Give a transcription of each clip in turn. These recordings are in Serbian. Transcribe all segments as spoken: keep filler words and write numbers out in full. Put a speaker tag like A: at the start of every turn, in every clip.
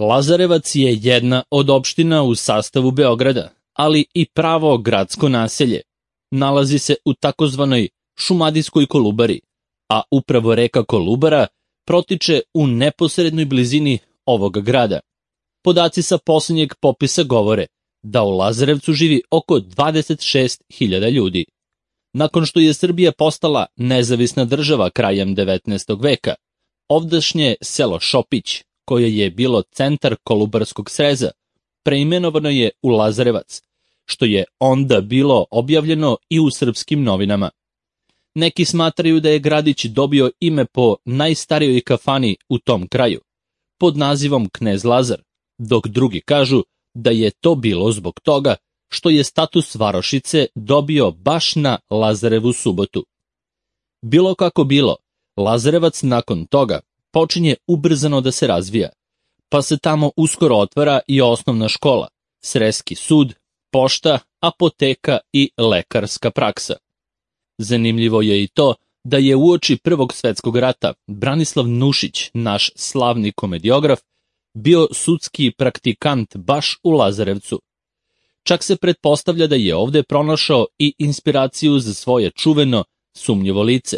A: Lazarevac je jedna od opština u sastavu Beograda, ali i pravo gradsko naselje. Nalazi se u takozvanoj Šumadijskoj Kolubari, a upravo reka Kolubara protiče u neposrednoj blizini ovog grada. Podaci sa posljednjeg popisa govore da u Lazarevcu živi oko dvadeset šest hiljada ljudi. Nakon što je Srbija postala nezavisna država krajem devetnaestog veka, ovdašnje selo Šopić, koje je bilo centar Kolubarskog sreza, preimenovano je u Lazarevac, što je onda bilo objavljeno i u srpskim novinama. Neki smatraju da je gradić dobio ime po najstarijoj kafani u tom kraju, pod nazivom Knez Lazar, dok drugi kažu da je to bilo zbog toga što je status varošice dobio baš na Lazarevu subotu. Bilo kako bilo, Lazarevac nakon toga počinje ubrzano da se razvija, pa se tamo uskoro otvara i osnovna škola, sreski sud, pošta, apoteka i lekarska praksa. Zanimljivo je i to da je uoči Prvog svetskog rata Branislav Nušić, naš slavni komediograf, bio sudski praktikant baš u Lazarevcu. Čak se pretpostavlja da je ovde pronašao i inspiraciju za svoje čuveno sumnjivo lice.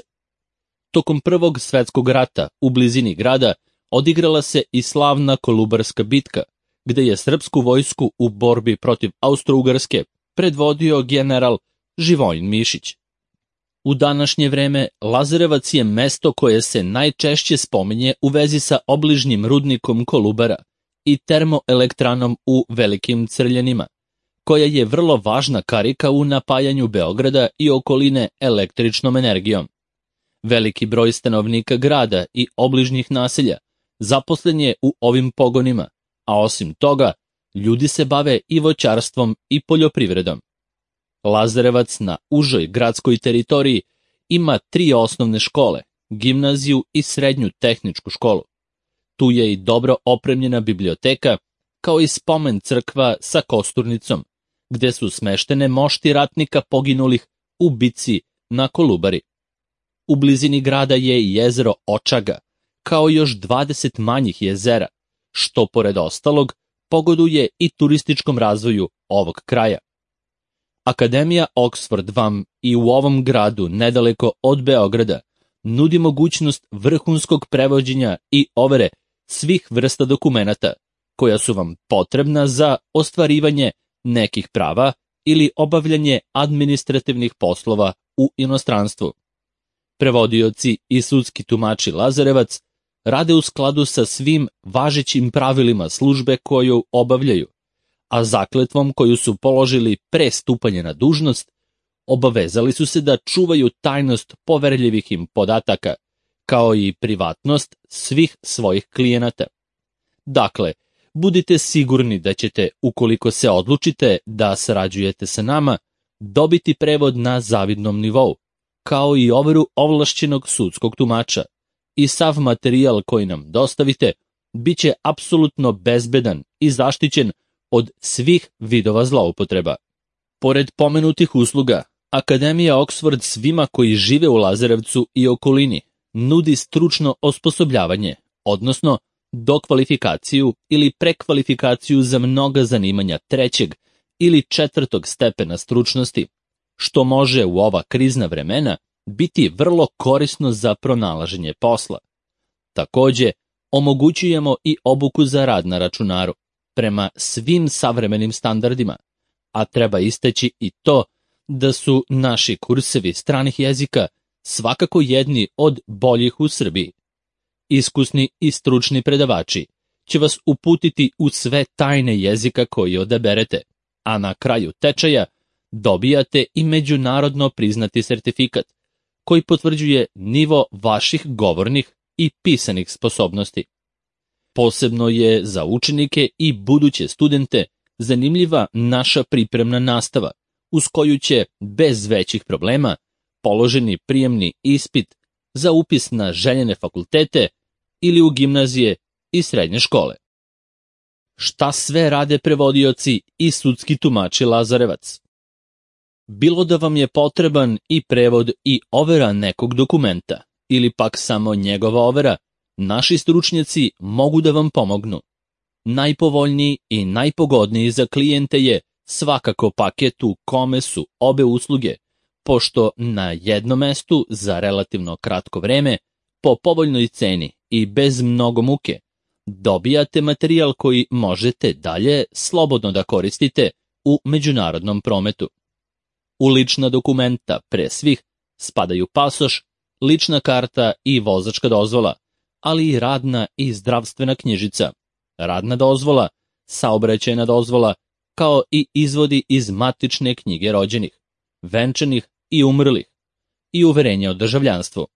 A: Tokom Prvog svetskog rata u blizini grada odigrala se i slavna Kolubarska bitka, gde je srpsku vojsku u borbi protiv Austro-Ugarske predvodio general Živojin Mišić. U današnje vreme Lazarevac je mesto koje se najčešće spominje u vezi sa obližnjim rudnikom Kolubara i termoelektranom u Velikim Crljenima, koja je vrlo važna karika u napajanju Beograda i okoline električnom energijom. Veliki broj stanovnika grada i obližnjih naselja zaposlen je u ovim pogonima, a osim toga, ljudi se bave i voćarstvom i poljoprivredom. Lazarevac na užoj gradskoj teritoriji ima tri osnovne škole, gimnaziju i srednju tehničku školu. Tu je i dobro opremljena biblioteka, kao i spomen crkva sa kosturnicom, gde su smeštene mošti ratnika poginulih u bici na Kolubari. U blizini grada je i jezero Očaga, kao još dvadeset manjih jezera, što pored ostalog pogoduje i turističkom razvoju ovog kraja. Akademija Oxford vam i u ovom gradu, nedaleko od Beograda, nudi mogućnost vrhunskog prevođenja i overe svih vrsta dokumenata, koja su vam potrebna za ostvarivanje nekih prava ili obavljanje administrativnih poslova u inostranstvu. Prevodioci i sudski tumači Lazarevac rade u skladu sa svim važećim pravilima službe koju obavljaju, a zakletvom koju su položili pre stupanja na dužnost, obavezali su se da čuvaju tajnost poverljivih im podataka, kao i privatnost svih svojih klijenata. Dakle, budite sigurni da ćete, ukoliko se odlučite da sarađujete sa nama, dobiti prevod na zavidnom nivou, kao i overu ovlašćenog sudskog tumača, i sav materijal koji nam dostavite bit će apsolutno bezbedan i zaštićen od svih vidova zloupotreba. Pored pomenutih usluga, Akademija Oxford svima koji žive u Lazarevcu i okolini nudi stručno osposobljavanje, odnosno dokvalifikaciju ili prekvalifikaciju za mnoga zanimanja trećeg ili četvrtog stepena stručnosti, što može u ova krizna vremena biti vrlo korisno za pronalaženje posla. Takođe, omogućujemo i obuku za rad na računaru, prema svim savremenim standardima, a treba istaći i to da su naši kursevi stranih jezika svakako jedni od boljih u Srbiji. Iskusni i stručni predavači će vas uputiti u sve tajne jezika koji odaberete, a na kraju tečaja dobijate i međunarodno priznati sertifikat koji potvrđuje nivo vaših govornih i pisanih sposobnosti. Posebno je za učenike i buduće studente zanimljiva naša pripremna nastava, uz koju će, bez većih problema, položeni prijemni ispit za upis na željene fakultete ili u gimnazije i srednje škole. Šta sve rade prevodioci i sudski tumači Lazarevac? Bilo da vam je potreban i prevod i overa nekog dokumenta, ili pak samo njegova overa, naši stručnjaci mogu da vam pomognu. Najpovoljniji i najpogodniji za klijente je svakako paket u kome su obe usluge, pošto na jednom mestu za relativno kratko vreme, po povoljnoj ceni i bez mnogo muke, dobijate materijal koji možete dalje slobodno da koristite u međunarodnom prometu. U lična dokumenta pre svih spadaju pasoš, lična karta i vozačka dozvola, ali i radna i zdravstvena knjižica, radna dozvola, saobraćajna dozvola, kao i izvodi iz matične knjige rođenih, venčanih i umrlih, i uverenja o državljanstvu.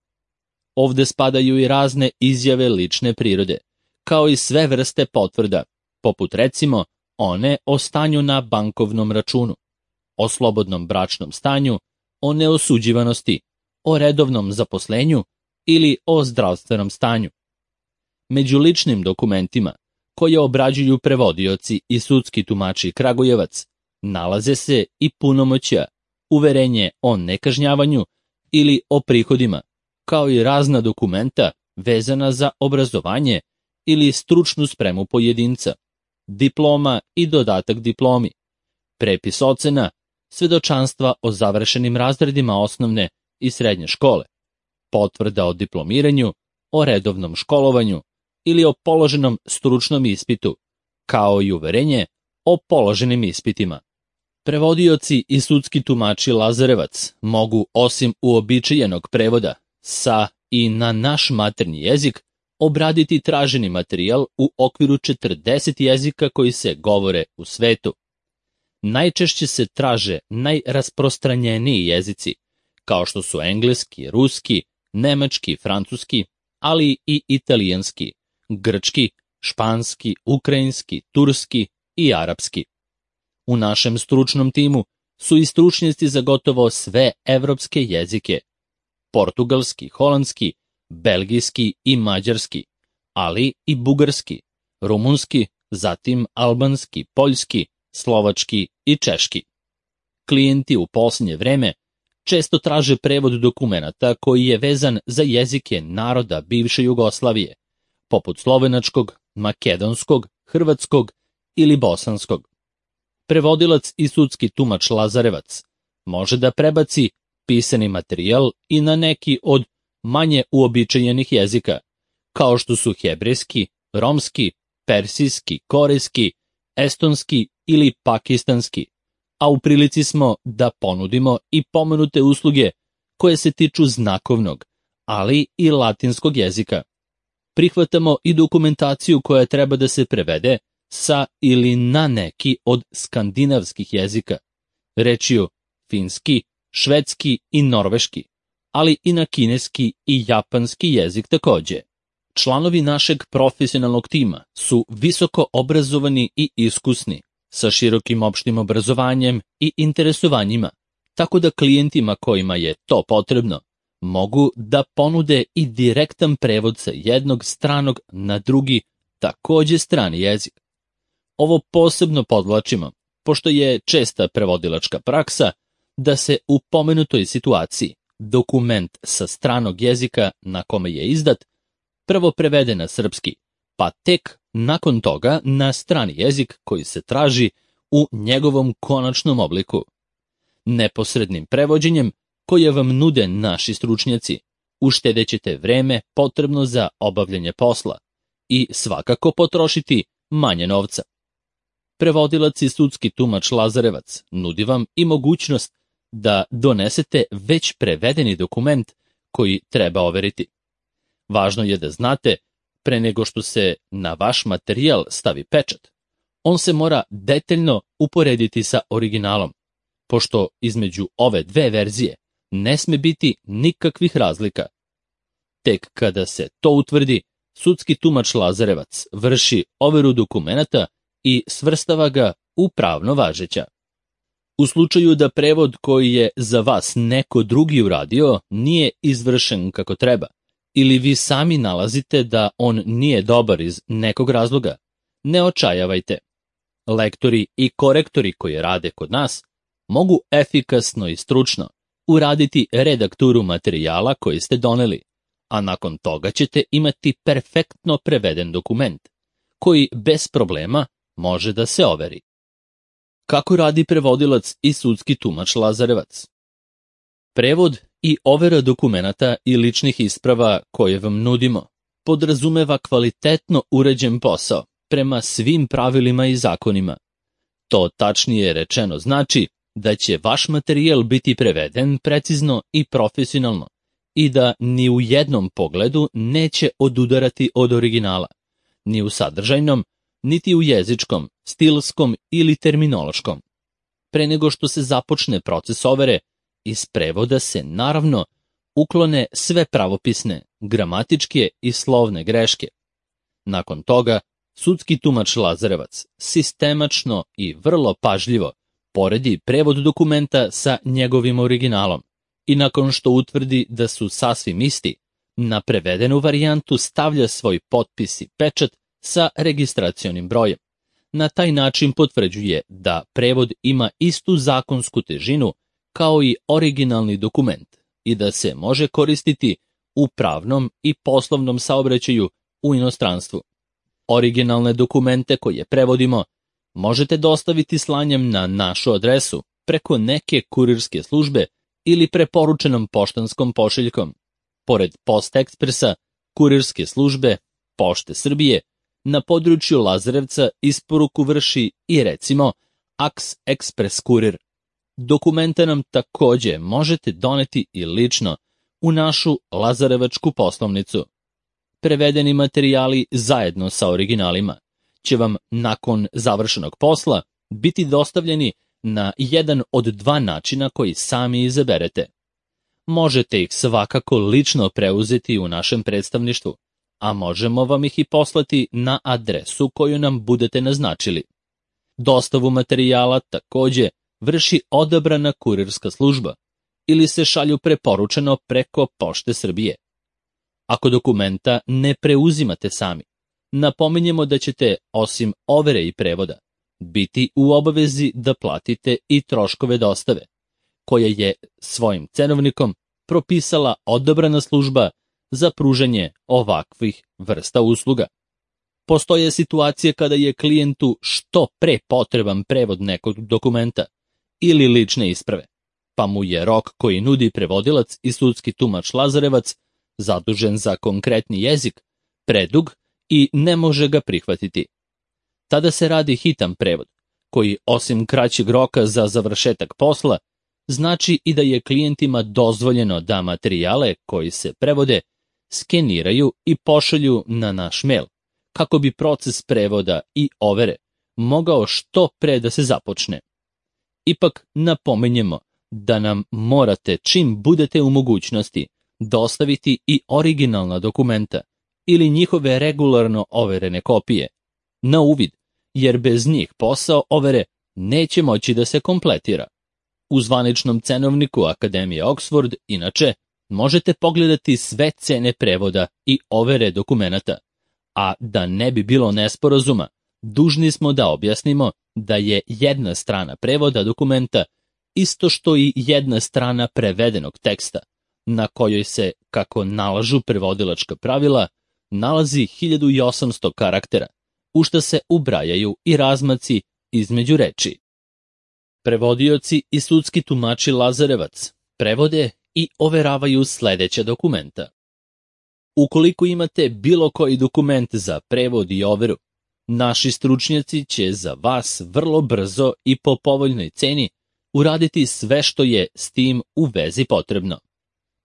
A: Ovde spadaju i razne izjave lične prirode, kao i sve vrste potvrda, poput recimo one o stanju na bankovnom računu, o slobodnom bračnom stanju, o neosuđivanosti, o redovnom zaposlenju ili o zdravstvenom stanju. Među ličnim dokumentima, koje obrađuju prevodioci i sudski tumači Kragujevac, nalaze se i punomoćja, uverenje o nekažnjavanju ili o prihodima, kao i razna dokumenta vezana za obrazovanje ili stručnu spremu pojedinca, diploma i dodatak diplomi, prepis ocena, svedočanstva o završenim razredima osnovne i srednje škole, potvrda o diplomiranju, o redovnom školovanju ili o položenom stručnom ispitu, kao i uverenje o položenim ispitima. Prevodioci i sudski tumači Lazarevac mogu, osim uobičajenog prevoda sa i na naš maternji jezik, obraditi traženi materijal u okviru četrdeset jezika koji se govore u svetu. Najčešće se traže najrasprostranjeniji jezici, kao što su engleski, ruski, nemački, francuski, ali i italijanski, grčki, španski, ukrajinski, turski i arapski. U našem stručnom timu su i stručnjaci za gotovo sve evropske jezike, portugalski, holandski, belgijski i mađarski, ali i bugarski, rumunski, zatim albanski, poljski, slovački i češki. Klijenti u posljednje vreme često traže prevod dokumenata koji je vezan za jezike naroda bivše Jugoslavije, poput slovenačkog, makedonskog, hrvatskog ili bosanskog. Prevodilac i sudski tumač Lazarevac može da prebaci pisani materijal i na neki od manje uobičajenih jezika, kao što su hebrejski, romski, persijski, korejski, estonski ili pakistanski, a u prilici smo da ponudimo i pomenute usluge koje se tiču znakovnog, ali i latinskog jezika. Prihvatamo i dokumentaciju koja treba da se prevede sa ili na neki od skandinavskih jezika, rečju finski, švedski i norveški, ali i na kineski i japanski jezik takođe. Članovi našeg profesionalnog tima su visoko obrazovani i iskusni, sa širokim opštim obrazovanjem i interesovanjima, tako da klijentima kojima je to potrebno mogu da ponude i direktan prevod sa jednog stranog na drugi, takođe strani jezik. Ovo posebno podvlačimo, pošto je česta prevodilačka praksa da se u pomenutoj situaciji dokument sa stranog jezika na kome je izdat prvo prevede na srpski, pa tek nakon toga na strani jezik koji se traži u njegovom konačnom obliku. Neposrednim prevođenjem koje vam nude naši stručnjaci, uštedećete vreme potrebno za obavljanje posla i svakako potrošiti manje novca. Prevodilac i sudski tumač Lazarevac nudi vam i mogućnost da donesete već prevedeni dokument koji treba overiti. Važno je da znate, pre nego što se na vaš materijal stavi pečat, on se mora detaljno uporediti sa originalom, pošto između ove dve verzije ne sme biti nikakvih razlika. Tek kada se to utvrdi, sudski tumač Lazarevac vrši overu dokumenata i svrstava ga u pravno važeća. U slučaju da prevod koji je za vas neko drugi uradio nije izvršen kako treba, ili vi sami nalazite da on nije dobar iz nekog razloga, ne očajavajte. Lektori i korektori koji rade kod nas mogu efikasno i stručno uraditi redakturu materijala koji ste doneli, a nakon toga ćete imati perfektno preveden dokument, koji bez problema može da se overi. Kako radi prevodilac i sudski tumač Lazarevac? Prevod i overa dokumenata i ličnih isprava koje vam nudimo podrazumeva kvalitetno uređen posao prema svim pravilima i zakonima. To tačnije rečeno znači da će vaš materijal biti preveden precizno i profesionalno i da ni u jednom pogledu neće odudarati od originala, ni u sadržajnom, niti u jezičkom, stilskom ili terminološkom. Pre nego što se započne proces overe, iz prevoda se naravno uklone sve pravopisne, gramatičke i slovne greške. Nakon toga, sudski tumač Lazarevac sistemačno i vrlo pažljivo poredi prevod dokumenta sa njegovim originalom i nakon što utvrdi da su sasvim isti, na prevedenu varijantu stavlja svoj potpis i pečat sa registracionim brojem. Na taj način potvrđuje da prevod ima istu zakonsku težinu kao i originalni dokument i da se može koristiti u pravnom i poslovnom saobraćaju u inostranstvu. Originalne dokumente koje prevodimo možete dostaviti slanjem na našu adresu preko neke kurirske službe ili preporučenom poštanskom pošiljkom. Pored Post Ekspresa, kurirske službe Pošte Srbije, na području Lazarevca isporuku vrši i recimo Aks Ekspres kurir. Dokumente nam takođe možete doneti i lično u našu lazarevačku poslovnicu. Prevedeni materijali zajedno sa originalima će vam nakon završenog posla biti dostavljeni na jedan od dva načina koji sami izaberete. Možete ih svakako lično preuzeti u našem predstavništvu, a možemo vam ih i poslati na adresu koju nam budete naznačili. Dostavu materijala takođe vrši odabrana kurirska služba ili se šalju preporučeno preko Pošte Srbije. Ako dokumenta ne preuzimate sami, napominjemo da ćete, osim overe i prevoda, biti u obavezi da platite i troškove dostave, koje je svojim cenovnikom propisala odabrana služba za pružanje ovakvih vrsta usluga. Postoje situacije kada je klijentu što pre potreban prevod nekog dokumenta ili lične isprave, pa mu je rok koji nudi prevodilac i sudski tumač Lazarevac, zadužen za konkretni jezik, predug i ne može ga prihvatiti. Tada se radi hitan prevod, koji osim kraćeg roka za završetak posla, znači i da je klijentima dozvoljeno da materijale koji se prevode skeniraju i pošalju na naš mail, kako bi proces prevoda i overe mogao što pre da se započne. Ipak napominjemo da nam morate čim budete u mogućnosti dostaviti i originalna dokumenta ili njihove regularno overene kopije na uvid, jer bez njih posao overe neće moći da se kompletira. U zvaničnom cenovniku Akademije Oxford, inače, možete pogledati sve cene prevoda i overe dokumenata, a da ne bi bilo nesporazuma, dužni smo da objasnimo da je jedna strana prevoda dokumenta isto što i jedna strana prevedenog teksta, na kojoj se, kako nalažu prevodilačka pravila, nalazi hiljadu osamsto karaktera, u šta se ubrajaju i razmaci između reči. Prevodioci i sudski tumači Lazarevac prevode i overavaju sledeća dokumenta. Ukoliko imate bilo koji dokument za prevod i overu, naši stručnjaci će za vas vrlo brzo i po povoljnoj ceni uraditi sve što je s tim u vezi potrebno.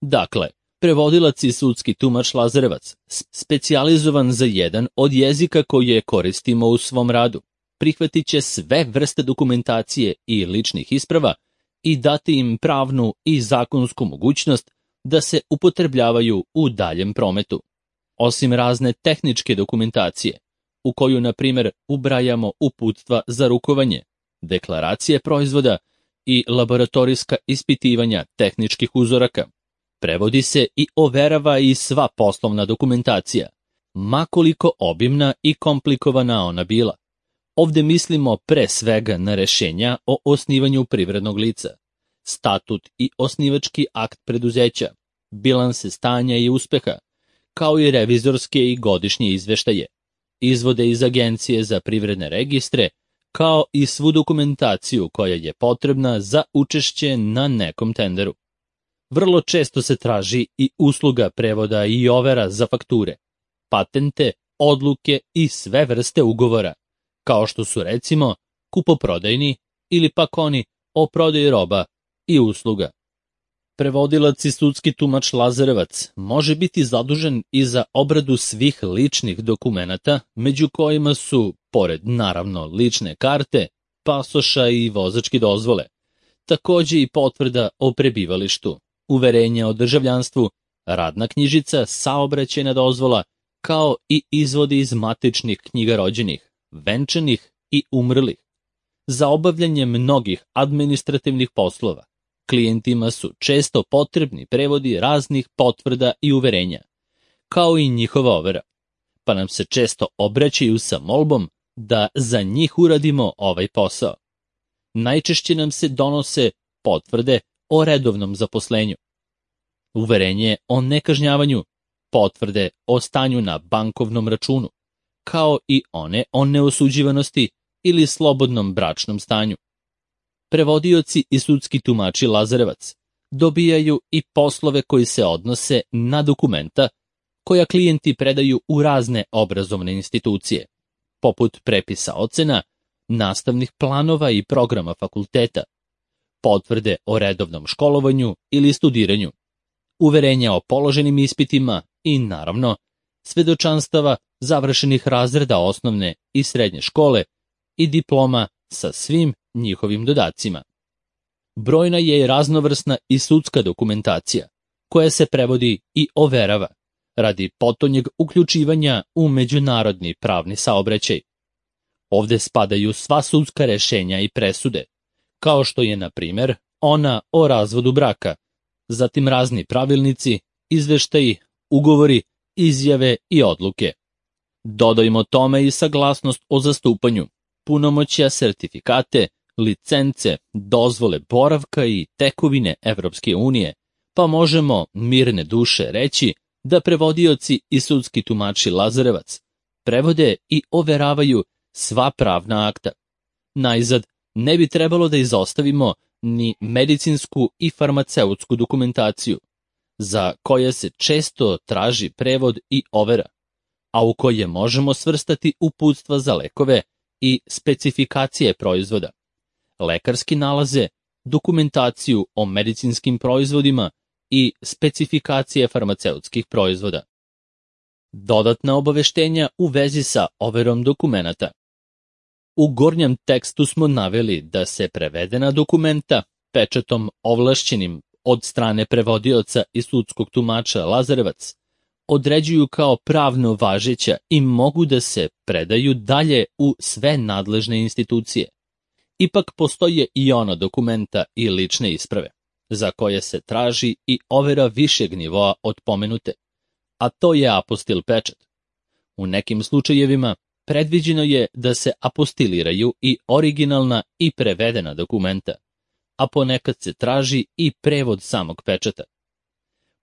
A: Dakle, prevodilac i sudski tumač Lazarevac, specijalizovan za jedan od jezika koje koristimo u svom radu, prihvatit će sve vrste dokumentacije i ličnih isprava i dati im pravnu i zakonsku mogućnost da se upotrebljavaju u daljem prometu. Osim razne tehničke dokumentacije, u koju, na primjer, ubrajamo uputstva za rukovanje, deklaracije proizvoda i laboratorijska ispitivanja tehničkih uzoraka, prevodi se i overava i sva poslovna dokumentacija, makoliko obimna i komplikovana ona bila. Ovde mislimo pre svega na rešenja o osnivanju privrednog lica, statut i osnivački akt preduzeća, bilanse stanja i uspeha, kao i revizorske i godišnje izveštaje, izvode iz Agencije za privredne registre, kao i svu dokumentaciju koja je potrebna za učešće na nekom tenderu. Vrlo često se traži i usluga prevoda i overa za fakture, patente, odluke i sve vrste ugovora, kao što su recimo kupoprodajni ili pak oni o prodaji roba i usluga. Prevodilac i sudski tumač Lazarevac može biti zadužen i za obradu svih ličnih dokumenata, među kojima su, pored naravno lične karte, pasoša i vozačke dozvole, takođe i potvrda o prebivalištu, uverenje o državljanstvu, radna knjižica, saobraćajna dozvola, kao i izvodi iz matičnih knjiga rođenih, venčanih i umrlih. Za obavljanje mnogih administrativnih poslova klijentima su često potrebni prevodi raznih potvrda i uverenja, kao i njihova overa, pa nam se često obraćaju sa molbom da za njih uradimo ovaj posao. Najčešće nam se donose potvrde o redovnom zaposlenju, uverenje o nekažnjavanju, potvrde o stanju na bankovnom računu, kao i one o neosuđivanosti ili slobodnom bračnom stanju. Prevodioci i sudski tumači Lazarevac dobijaju i poslove koji se odnose na dokumenta koja klijenti predaju u razne obrazovne institucije, poput prepisa ocena, nastavnih planova i programa fakulteta, potvrde o redovnom školovanju ili studiranju, uverenja o položenim ispitima i, naravno, svedočanstava završenih razreda osnovne i srednje škole i diploma sa svim njihovim dodacima. Brojna je i raznovrsna i sudska dokumentacija, koja se prevodi i overava, radi potonjeg uključivanja u međunarodni pravni saobraćaj. Ovde spadaju sva sudska rešenja i presude, kao što je, na primer, ona o razvodu braka, zatim razni pravilnici, izveštaji, ugovori, izjave i odluke. Dodajmo tome i saglasnost o zastupanju, punomoćja, sertifikate, licence, dozvole boravka i tekovine Evropske unije, pa možemo mirne duše reći da prevodioci i sudski tumači Lazarevac prevode i overavaju sva pravna akta. Najzad, ne bi trebalo da izostavimo ni medicinsku i farmaceutsku dokumentaciju, za koje se često traži prevod i overa, a u koje možemo svrstati uputstva za lekove i specifikacije proizvoda, lekarski nalaze, dokumentaciju o medicinskim proizvodima i specifikacije farmaceutskih proizvoda. Dodatna obaveštenja u vezi sa overom dokumenata. U gornjem tekstu smo naveli da se prevedena dokumenta pečatom ovlašćenim od strane prevodioca i sudskog tumača Lazarevac određuju kao pravno važeća i mogu da se predaju dalje u sve nadležne institucije. Ipak postoje i ona dokumenta i lične isprave, za koje se traži i overa višeg nivoa od pomenute, a to je apostil pečat. U nekim slučajevima predviđeno je da se apostiliraju i originalna i prevedena dokumenta, a ponekad se traži i prevod samog pečata.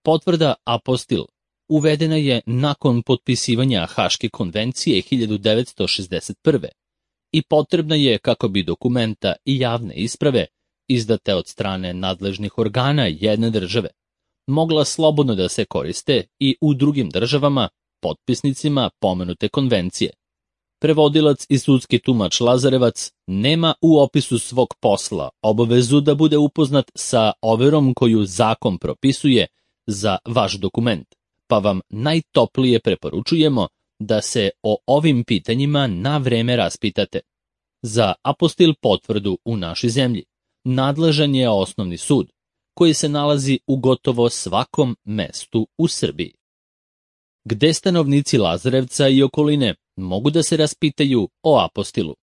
A: Potvrda apostil uvedena je nakon potpisivanja Haške konvencije hiljadu devetsto šezdeset prve. i potrebna je kako bi dokumenta i javne isprave, izdate od strane nadležnih organa jedne države, mogla slobodno da se koriste i u drugim državama, potpisnicima pomenute konvencije. Prevodilac i sudski tumač Lazarevac nema u opisu svog posla obavezu da bude upoznat sa overom koju zakon propisuje za vaš dokument, pa vam najtoplije preporučujemo da se o ovim pitanjima na vreme raspitate. Za apostil potvrdu u našoj zemlji nadležan je osnovni sud, koji se nalazi u gotovo svakom mestu u Srbiji. Gde stanovnici Lazarevca i okoline mogu da se raspitaju o apostilu?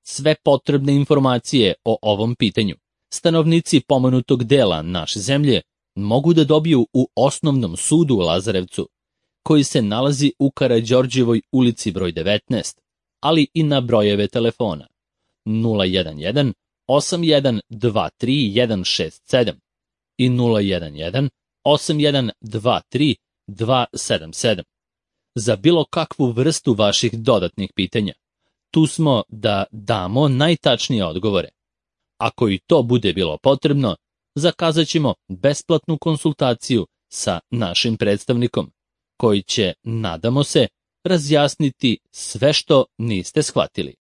A: Sve potrebne informacije o ovom pitanju stanovnici pomenutog dela naše zemlje mogu da dobiju u osnovnom sudu u Lazarevcu, koji se nalazi u Karađorđevoj ulici broj devetnaest, ali i na brojeve telefona nula jedan jedan osam jedan dva tri jedan šest sedam i nula jedan jedan osam jedan dva tri dva sedam sedam. za bilo kakvu vrstu vaših dodatnih pitanja. Tu smo da damo najtačnije odgovore. Ako i to bude bilo potrebno, zakazat ćemo besplatnu konsultaciju sa našim predstavnikom, koji će, nadamo se, razjasniti sve što niste shvatili.